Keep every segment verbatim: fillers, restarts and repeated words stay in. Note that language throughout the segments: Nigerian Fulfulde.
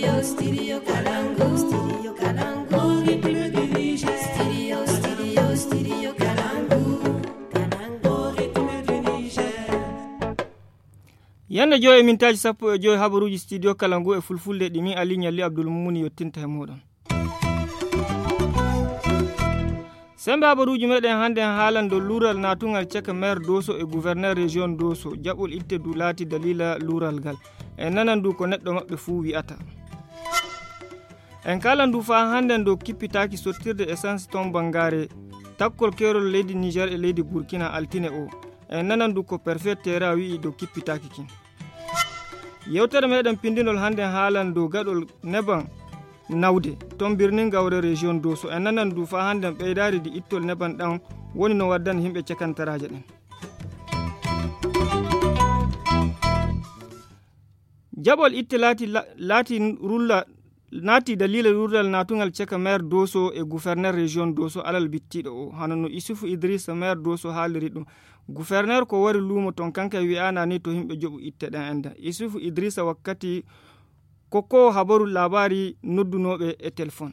Studio, studio Kalangu. Studio Kalangu. Studio, studio, studio Kalangu. Kalangu. Yanda joyi mintaji sappo e joyi habaruji studio Kalangu e fulfulde ɗimi Ali Nyalli Abdul Mumuni yottinta e moɗon. Sembe habaruji meɗen hande haalan do lural natungal caka maire Doso e gouverneur région Doso jaɓol itte du laati dalila lural gal e nanan du ko neɗɗo maɓɓe fuu wi'ata. En kalan du fa hande do kippitaki sottirde essence ton bangare takkol kerol leydi Niger e leydi Burkina altine o e nanan du ko perfet tera wi'i do kippitaki kin. Yewtere meɗen pindinol hande haalan do gaɗol neban nawde ton birnin gawre région Doso e nanan du fa hande ɓeydari di ittol neban ɗan woni no waddan himɓe cakantaraje ɗen. Jaɓol itte laati laati rulla naati dalila rural natungal caka maire Doso e gouverneur région Doso alal bittiɗo o hanono Isufu Idrissa maire Doso haaliri ɗum gouverneur ko wari lumo ton kanka wi'ana ni to himɓe joɓu itte ɗen enda Isufu Idrissa wakkati koko habaru labari noddunoɓe e téléphone.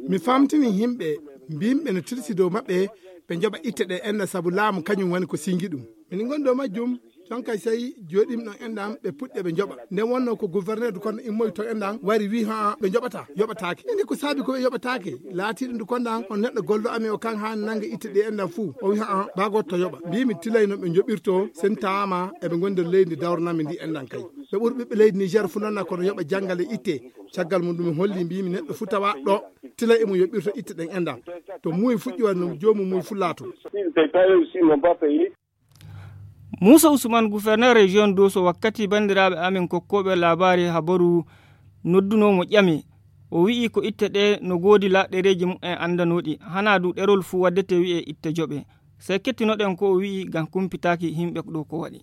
Mi famtini himɓe mbimɓe no tirsi dow maɓɓe ɓe joɓa itte ɗe enda saabu laamu kañum woni ko singi ɗum min gon dow majjum ton kay sey joɗim ɗon endam ɓe puɗɗe ɓe joɓa nden wonno ko gouverneur du kono immoy to endam wari wi ha ɓe joɓata yoɓatake indi ko saabi ko ɓe yoɓatake laatiɗo ndu konɗan on neɗɗo gollo ami o kan ha nangga itte ɗe endam fuu o wi ha bagoto to yoɓa mbimi tilay no ɓe joɓirto sen tawama eɓe gondi leydi dawranami ndi endan kay ɓe ɓuuri ɓiɓɓe leydi Niger fu nonna kono yoɓa janggal e itte caggal mum ɗum holli mbimi neɗɗo fu tawa ɗo tilay emo yoɓirto itte ɗen endam to muuyi fuɗɗi wanno jomum muuyi fu laato. Musa Usman gouverneur région Doso wakkati bandiraɓe amin kokkoɓe labari habaru noddunomo ƴami o wi'i ko itte ɗe no godi laɗɗereji mum'en andanoɗi hana du ɗerol fu waddete wi'e itte joɓe sey kettinoɗen ko o wi'i gam kumpitaki himɓe ɗo ko waɗi.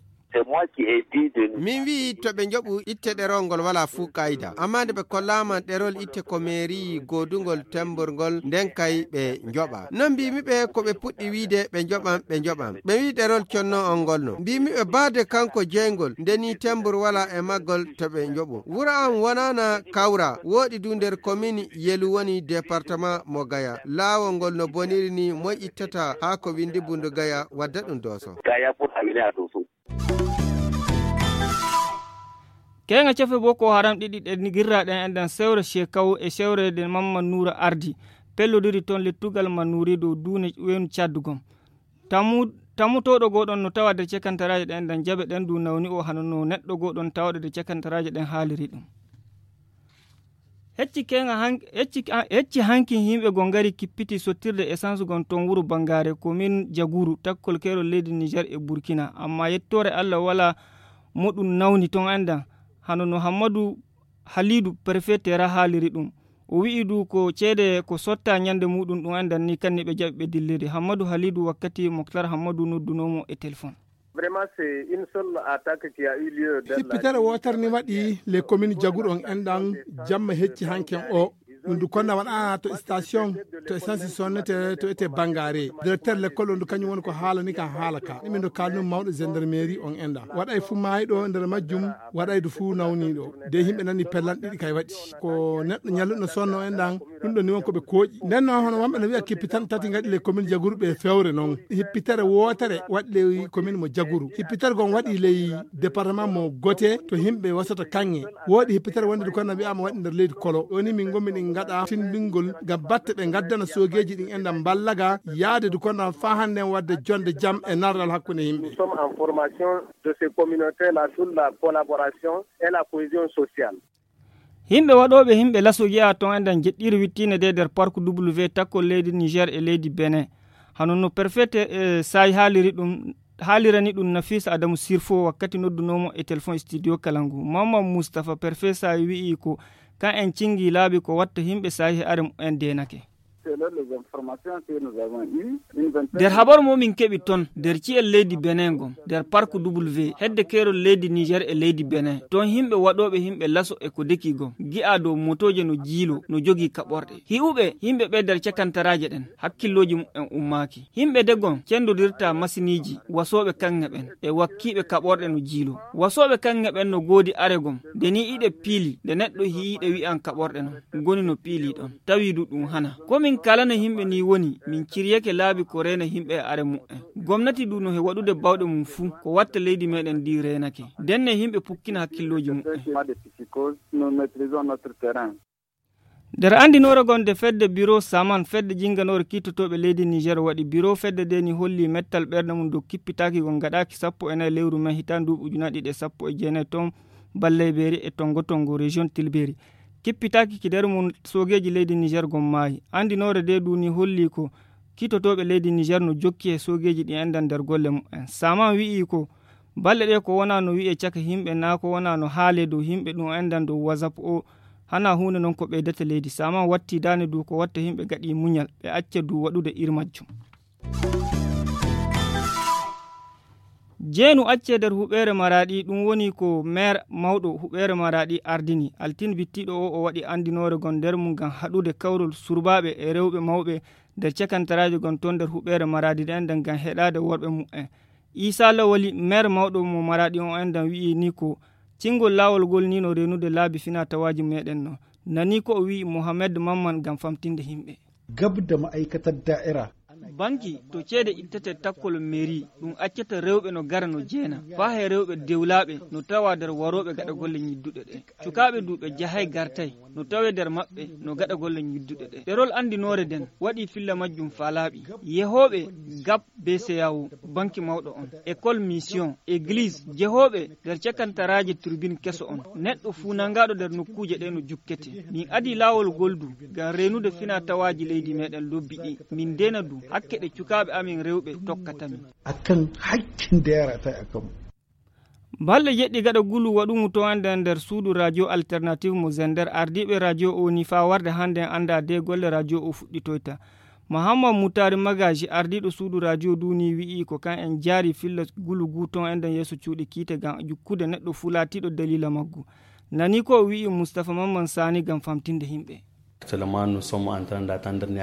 Min wi to ɓe joɓu itte ɗerol ngol wala fuu kayida amma nde ɓe kollama ɗerol itte ko mairie godugol temborgol nden kay ɓe joɓa non mbimiɓe ko ɓe puɗɗi wiide ɓe joɓan ɓe joɓan ɓe wi ɗerol conno on ngolno mbimiɓe baade kanko jeygol ndeni tembor wala e maggol to ɓe joɓu wura am wonana kawra woɗi du nder commune yelu woni département mo Gaya laawol ngol no boniri ni moy ittata ha ko windi bundu Gaya wadda ɗum Doso. Kenga cefe Boko Haram ɗiɗi ɗe girraɗen endan sewre Shekau e sewrede Mamman Noura ardi pellodiri ton lettugal Manuri dow dune wenu caddugom tamu tamutoɗo goɗon no tawa de cekantaraje ɗen endan jaɓe ɗen du nawni o hanono neɗɗo goɗon tawɗe de cekantaraje ɗen haaliri ɗum. Hecci kenga hank hecci hecci hanki himɓe gon ngari kippiti sottirde essence gon ton wuro Bangare commune Jaguru takkol kerol leydi Niger e Burkina amma yettore Allah wala moɗum nawni ton endan hanono Hammadou Halidou préfet tera haaliri ɗum o wi'i du ko ceede ko sotta nyande muɗum ɗum endan ni kanni ɓe jaɓi ɓe dilliri Hammadou Halidou wakkati Mokhtar Hammadou noddunomo e téléphone. Vraiment c'est une seule attaque qui a eu lieu dans hippitere wotarni waɗi les communes Jaguru on endan jamma hecci hanken o ɗum du konna waɗa to station to essence sonnete to ete Bangare directeur l'école on du kañum woni ko haalani ka haala ka ɗumen do kalnum mawɗo gendarmerie on enda waɗay fu maayi ɗo nder majjum waɗay du fu nawni ɗo de himɓe nani pellan ɗiɗi kay waɗi ko neɗɗo ñalluɗo sonno endan ɗum ɗo ni won koɓe kooƴi nden noon hono wonɓe no wiya kippitan tati gaɗi les communes Jaguru ɓe fewre noon hippitere wotere waɗi ley commune mo Jaguru hippitere gon waɗi ley département mo Goté to himɓe wasata kanŋe woɗi hippitere wonde du konna wiyama waɗi nder leydi Kolo ɗoni min gommi ɗin gaɗa tindingol gam batte ɓe gaddana sogeji ɗin enɗam ballaga yaade du kono fa hande wadde jonde jam e nardal hakkude yimɓe. Nous sommes en formation de ces communautés là sur la collaboration et la cohésion sociale. Himɓe waɗoɓe himɓe laso yi'a ton enɗan jeɗɗiri wittine de nder parc W takkol leydi Niger e leydi Benin hano no perfete e sayi haaliri ɗum haalirani ɗum Nafisa Adamu Sirfo wakkati noddunomo e téléphone studio Kalangu Mamman Moustapha perfet sayi wi'i ko kan en cingi laabi ko watta himɓe sahi are en denake. nder habaru momin keɓi ton nder ciyel leydi Benin gon nder parc W hedde kerol leydi Niger e leydi Benin ton himɓe waɗoɓe himɓe laso e ko deki gon gi'a dow motoje no jiilo no jogi kaɓorɗe hi'uɓe himɓe ɓe nder cakantaraje ɗen hakkilloji en ummaki himɓe de gon cendodirta masiniji wasoɓe kanŋe ɓen e wakkiɓe kaɓorɗe no jiilo wasoɓe kanŋe ɓen no godi are gon de ni iɗe piili de neɗɗo hiiɗe wi'an kaɓorɗe non goni no piili ɗon tawidu ɗum hana komin kala no himɓe ni woni min ciryake laabi ko rena himɓe e are mu'en gomnati du no he waɗude bawɗe mum fuu ko watta leydi meɗen ndi renake denne himɓe pukkina hakkilloji mu'en nder andinore gonde fedde bureau saman fedde jinganore kittotoɓe leydi Niger waɗi bureau fedde de ni holli mettal ɓerde mum dow kippitaki gon gaɗaki sappo e nayi lewru men hitan nduɓi ujunaje ɗiɗi e sappo e jeenayi ton Balleybeeri e Tongo Tongo région Tilberi kippitaki ki nder mum sogeji leydi Niger gon maayi andinore de du ni holli ko kittotoɓe leydi Niger no jokki e sogeji ɗi endan nder golle mumen saman wi'i ko balle ɗe ko wona no wi'e caka himɓe na ko wona no haale dow himɓe ɗum endan dow WhatsApp o hana hunde non ko ɓeydata leydi saman watti dane du ko watta himɓe gaɗi muñal ɓe acca du waɗude irmajjum jeenu acce nder huɓere Maradi ɗum woni ko maire mawɗo huɓere Maradi ardini altine bittiɗo o o waɗi andinore gon nder mum gam haɗude kawrol surbaɓe e rewɓe mawɓe nder cakantaraji gon ton nder huɓere Maradi ɗen nden gam heɗade worɓe mu'en Isa Lawali maire mawɗo mo Maradi on endan wi'i ni ko cingol lawol gol ni no renude laabi fina tawaji meɗen no nani ko o wi'i Mohamed Mamman gam famtinde himɓe gabda ma'aikatar da'ira banki to ceede ittete takkol mairie ɗum accata rewɓe no gara no jeena fa he rewɓe dewlaɓe no tawa nder waroɓe gaɗa golle ñidduɗe ɗe cukaɓe duuɓe jahay gartay no tawe nder maɓɓe no gaɗa golle ñidduɗe ɗe ɗerol andinore den waɗi filla majjum fa laaɓi yehoɓe gap B C A O banki mawɗo on école mission église jehoɓe nder cakantaraji turbine keso on neɗɗo fu nangaɗo nder nokkuje ɗe no jukkete min adi lawol goldu gam renude fina tawaji leydi meɗen lobbi ɗi min dena du hakke ɗe cukaɓe amin rewɓe tokkatamin akan hakkin da yara ta akan balle jeɗɗi gaɗa gulu waɗumu to ande nder suudu radio alternative mo Zender ardiɓe radio o ni fa warde hande anda de golle radio o fuɗɗitoyta Mahamad Moutari Magaji ardiɗo suudu radio duni wi'i ko kan en jaari filla gulu gu ton enden yeeso cuuɗi kiite gam jukkude neɗɗo fu laatiɗo dalila maggu nani ko wi'i Moustapha Mamman Sani gam famtinde himɓe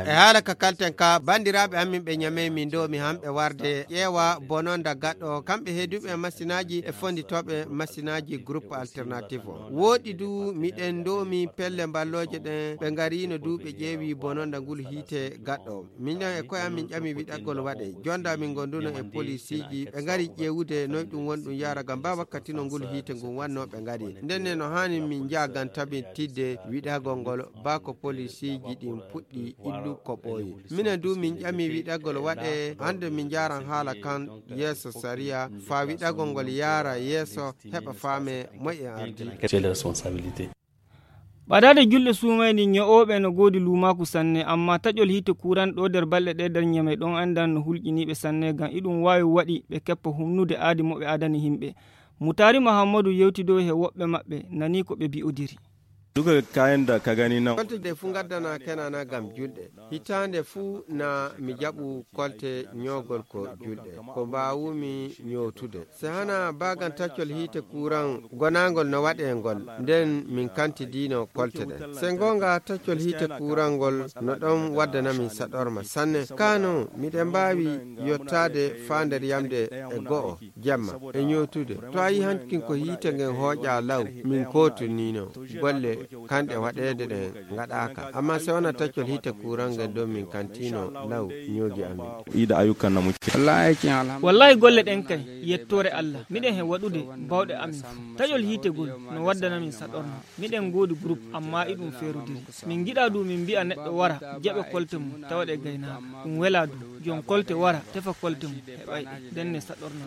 e haala ka kalten ka bandiraɓe amin ɓe ñame min do mi hamɓe warde ƴeewa bononda gaɗɗo kamɓe heeduɓe masinaji e fonditoɓe masinaji groupe alternative o woɗi du miɗen domi pelle balloje ɗen ɓe garino duɓe ƴeewi bononda ngol hiite gaɗɗo minen e koye amin ƴami wiɗaggol waɗe jonda min gonduno e police ji ɓe gari ƴewude noy ɗum woni ɗum yara gam ba wakkati no ngol hiite ngol wanno ɓe gari ndenne no hani min jagan tabi tidde wiɗagol ngol bako police ji ɗin puɗɗi illu ko ɓooyi minen du min ƴami wiɗagol waɗe hande min jaran haala kan yeeso saria fa wiɗagol ngol yaara yeeso heɓa faame moƴƴe ardi ɓadade julɗe sumayni ño'oɓe no godi lumaku sanne amma taƴol hite kuran ɗo nder balɗe ɗe nder ñame ɗon andan no hulƴiniɓe sanne gam iɗum wawi waɗi ɓe keppa humnude aadi moɓe adani himɓe Mutari Mahamadou yewtido he woɓɓe maɓɓe nani ko ɓe bi'odiri duka kayan da ka gani nan kolte fu gaddana kenana gam julɗe hitande fu na mi jaɓu kolte ñogol ko julɗe ko mbawumi ñowtude se hana bagan taccol hite kuran gonangol no waɗe ngol nden min kantidino kolte ɗen se gonga taccol hite kurangol no ɗon waddanamin saɗorma sanne kano miɗen mbawi yottade fa nder yamde e go'o jamma e ñowtude to a yi hankin ko hite ngen hooƴa law min kotunino golle kanɗe waɗede ɗe gaɗaka amma se wona taccol hite kurangal ɗon min kantino law ñoogi amin ida ayyukan na muke wallahi golle ɗen kay yettore Allah miɗen he waɗude bawɗe amin taƴol hitegol no waddanamin saɗorno miɗen godi groupe amma iɗum ferudiri min giɗa du min mbi'a neɗɗo wara jaɓe kolte mum tawaɗe gaynaka ɗum wela du jon kolte wara tefa kolte mum heɓay denne saɗorno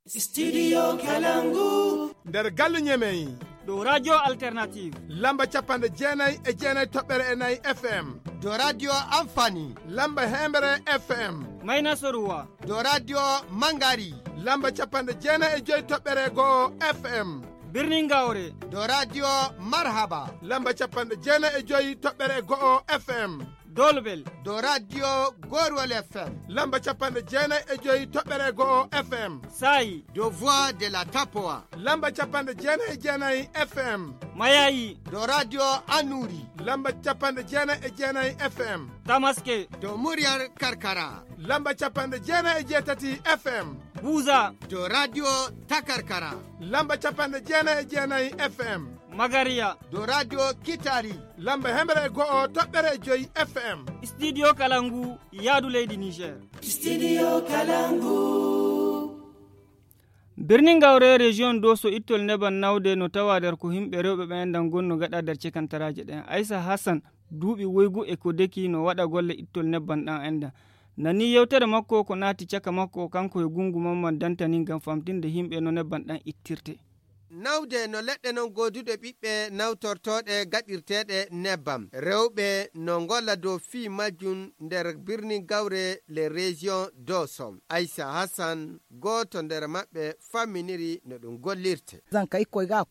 Studio Kalangu nder galle ñemeyi do radio alternative lamba capanɗe jeenayi e jeenayi toɓɓere e nayyi F M do radio amfani lamba hemere F M mayna soruwa do radio mangari lamba capanɗe jeenayi e joyi toɓɓere go'o F M birni Gawre do radio marhaba lamba capanɗe jeenayi e joyi toɓɓere go'o F M dolbel do radio gorwol F M lamba capanɗe jeenayi e joyi toɓɓere go'o F M sayi do voix de la tapowa lamba capanɗe jeenayi e jeenayi F M mayayi do radio Anuri lamba capanɗe jeenayi e jeenayi F M tamaske do muryar karkara lamba capanɗe jeenayi e jeetati F M buza do radio takarkara lamba capanɗe jeenayi e jeenayi F M magariya do radio Kitari lamba hemere e go'o toɓɓere e joyi F M studio kalangu yaadu leydi Niger. Studio Kalangu. birnin gawre region doso ittol neban nawde no tawa der ko himɓe rewɓe ɓe endan gonno gaɗa der cekantaraje ɗen. Aissa Hassan duuɓi woygu e ko deki no waɗa golle ittol nebban ɗan enda nani yewtere makko ko naati caka makko kanko e gungu mamman dantani ngam famtinde himɓe no nebban ɗan ittirte. nawde no leɗɗe non goduɗe ɓiɓɓe nawtortoɗe gaɗirteɗe nebbam rewɓe no golla dow fi majjum nder birni gawre le région dosom. Aissa Hassan goto nder maɓɓe famminiri no ɗum gollirte.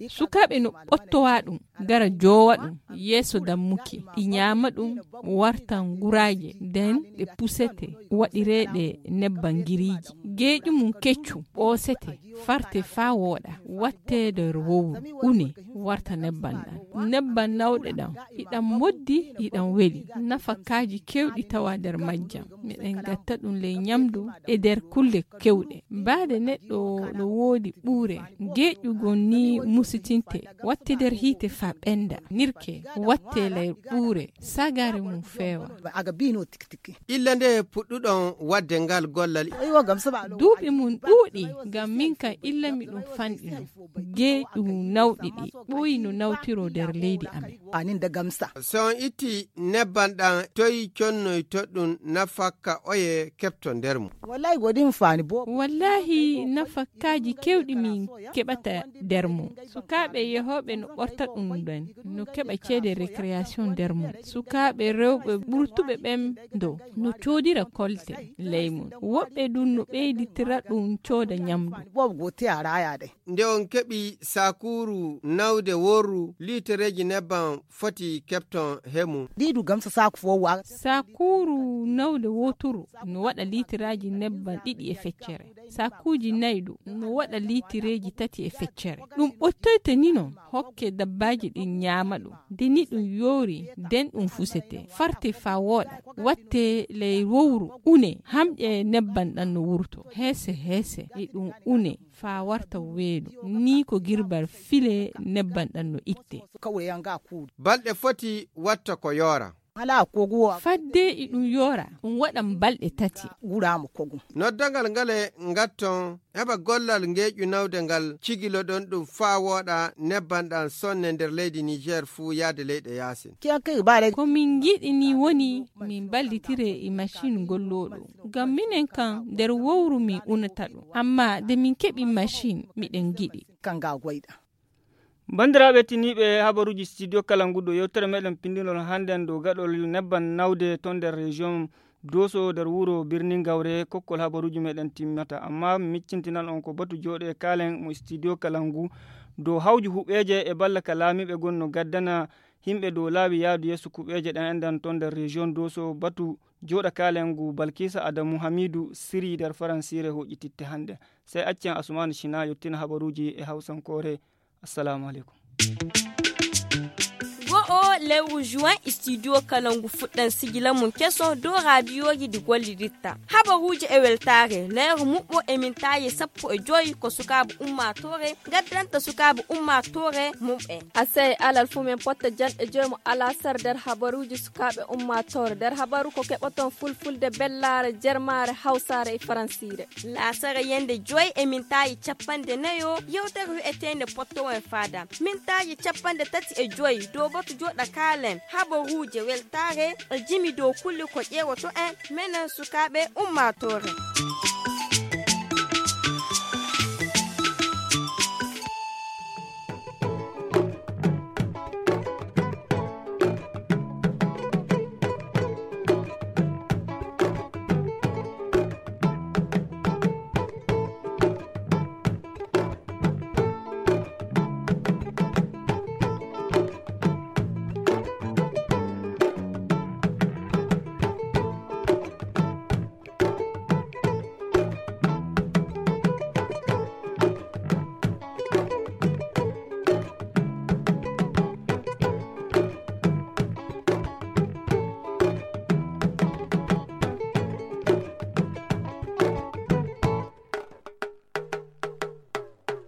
sukaɓe no ɓottowa ɗum gara jowa ɗum yeeso dammuki ɗi ñama ɗum wartan guraje nden ɗe pusete waɗireɗe nebban giriji geeƴu mum keccu ɓoosete farte fa woɗa watte nder wowru une warta nebban ɗan nebban nawɗe ɗan iɗan moddi iɗan weli nafakaji kewɗi tawa nder majjam miɗen gatta ɗum ley nyamdu e nder kulle kewɗe baade neɗɗo no woodi ɓuure geeƴugol ni musitinte watte nder hiite fa ɓenda nirke watte ley ɓuure sagare mum feewa illa nde puɗɗuɗon wadde ngal gollal duuɓi mum ɗuuɗi ngam min kan illa mi ɗum fanɗino geeƴu nawɗi ɗi ɓooyi no nawtiro nder leydi amen so on itti nebban ɗan toyi connoy toɗɗum nafakka oye kepto nder mum wallahi nafakkaji kewɗi min keɓata nder mum sukaɓe yehoɓe no ɓorta ɗum ɗen no keɓa ceede récréation nder mum sukaɓe rewɓe ɓurtuɓe ɓen do no coodira kolte ley mum woɓɓe ɗum no ɓeyditira ɗum cooda nyamdu nde on keɓi sakuru nawde worru litereji nebban foti kepton hemu sakuru nawde woturu no waɗa litiraji nebban ɗiɗi e feccere sakuji nayɗu no waɗa litireji tati e feccere ɗum ɓottoyte ni non hokke dabbaji ɗin ñama ɗum de ni ɗum yoori nden ɗum fusete farte fa woɗa watte ley wowru une hamƴe nebban ɗan no wurto heese heese e ɗum une fa warta weedu ni ko girbar file nebban ɗan no itte balɗe foti watta ko yoora fadde e ɗum yoora ɗum waɗan balɗe tati noddagal ngale ngatton heɓa gollal ngeƴu nawde ngal cigiloɗon ɗum faa wooɗa nebban ɗan sonne nder leydi Niger fuu yaade leyɗe yaasin ko min giɗi ni woni min ballitire e machine golloɗo ngam minen kan nder wowru min unata ɗum amma de min keɓi machine miɗen giɗi bandiraɓe tiniɓe habaruji studio kalangu ɗo yewtere meɗen pindinol hannden dow gaɗol nebban nawde ton nder région doso nder wuro birni gawre kokkol habaruji meɗen timmata amma miccintinan on ko batu jooɗe kalen mo studio kalangu dow hawji huɓeje e balla ka laamiɓe gonno gaddana himɓe dow laawi yaadu yeeso kuɓeje ɗen endan ton nder région doso batu jooɗa kalen ngu Balkisa Adamu Hamidou siri nder faransire hoƴƴititte hannde sey accen Asumani Shina yettina habaruji e hawsankore. Assalamu alaikum. Go'o lewru juin studio kalangu fuɗɗan sigila mun keso do radioji di golliritta habaruji e weltare lewru muɓɓo e mintaye sappo e joyi ko sukaɓe ummatore gaddanta sukaɓe ummatore mumɓe asay alal fu men potta jan e joyi mo ala sar nder habaruji sukaɓe ummatore nder habaru ko keɓaton fulfulde bellare jermare hawsare e faransire lasara yende joyi e mintaye cappande nayo yewtere wi'etende potto en fada mintaye cappande tati e joyi do batu joɗa kalen habaruje weltare e jimi dow kulle ko ƴeewoto en menen sukaɓe ummatore.